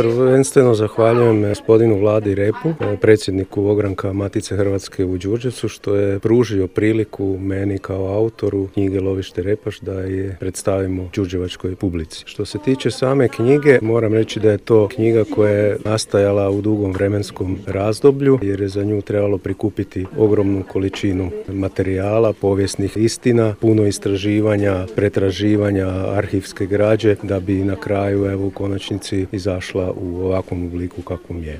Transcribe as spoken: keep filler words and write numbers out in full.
Prvenstveno zahvaljujem gospodinu Vladi Repu, predsjedniku ogranka Matice Hrvatske u Đurđevcu, što je pružio priliku meni kao autoru knjige Lovište Repaš da je predstavimo đurđevačkoj publici. Što se tiče same knjige, moram reći da je to knjiga koja je nastajala u dugom vremenskom razdoblju, jer je za nju trebalo prikupiti ogromnu količinu materijala, povijesnih istina, puno istraživanja, pretraživanja arhivske građe, da bi na kraju evo u konačnici izašla u ovakvom obliku kakvom je.